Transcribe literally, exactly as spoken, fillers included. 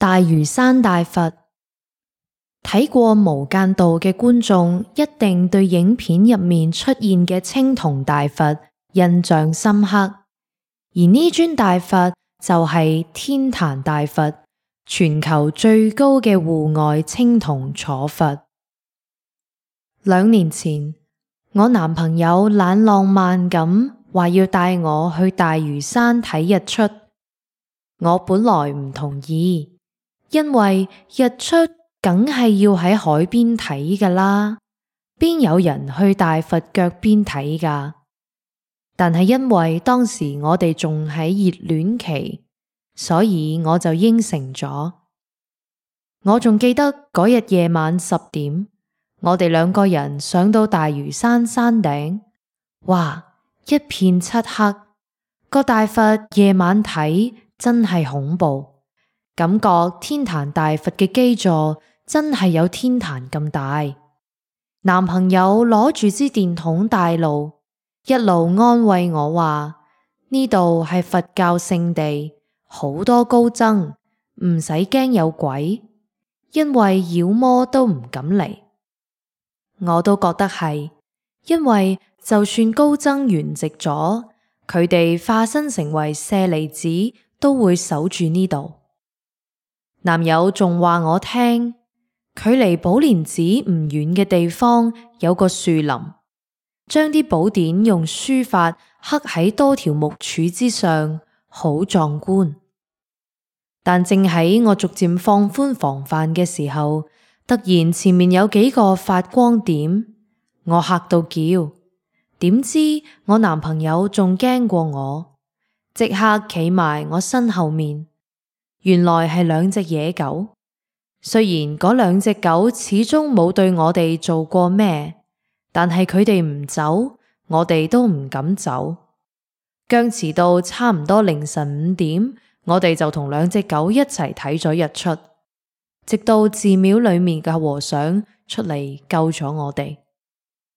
大嶼山大佛。睇過《無間道》嘅觀眾一定對影片入面出現嘅青銅大佛印象深刻，而呢尊大佛就係天壇大佛，全球最高嘅戶外青銅坐佛。兩年前，我男朋友懶浪漫咁話要帶我去大嶼山睇日出，我本來唔同意，因為日出梗係要喺海邊睇㗎啦，邊有人去大佛腳邊睇㗎？但係因為當時我哋仲喺熱戀期，所以我就應承咗。我仲記得嗰日夜晚十點，我哋兩個人上到大嶼山山頂，哇，一片漆黑，個大佛夜晚睇真係恐怖，感覺天壇大佛嘅基座真係有天壇咁大。男朋友攞住支電筒帶路，一路安慰我話呢度係佛教聖地，好多高僧，唔使驚有鬼，因為妖魔都唔敢嚟。我都覺得係，因為就算高僧圓寂咗，佢哋化身成為舍利子都會守住呢度。男友仲話我聽，距離寶蓮寺唔遠嘅地方有個樹林，將啲寶典用書法刻喺多條木柱之上，好壯觀。但正喺我逐漸放寬防範嘅時候，突然前面有幾個發光點，我嚇到叫，點知我男朋友仲驚過我，即刻企埋我身後面。原來係兩隻野狗，雖然嗰兩隻狗始終冇對我哋做過咩，但係佢哋唔走，我哋都唔敢走。僵持到差唔多凌晨五點，我哋就同兩隻狗一齊睇咗日出，直到寺廟裏面嘅和尚出嚟救咗我哋。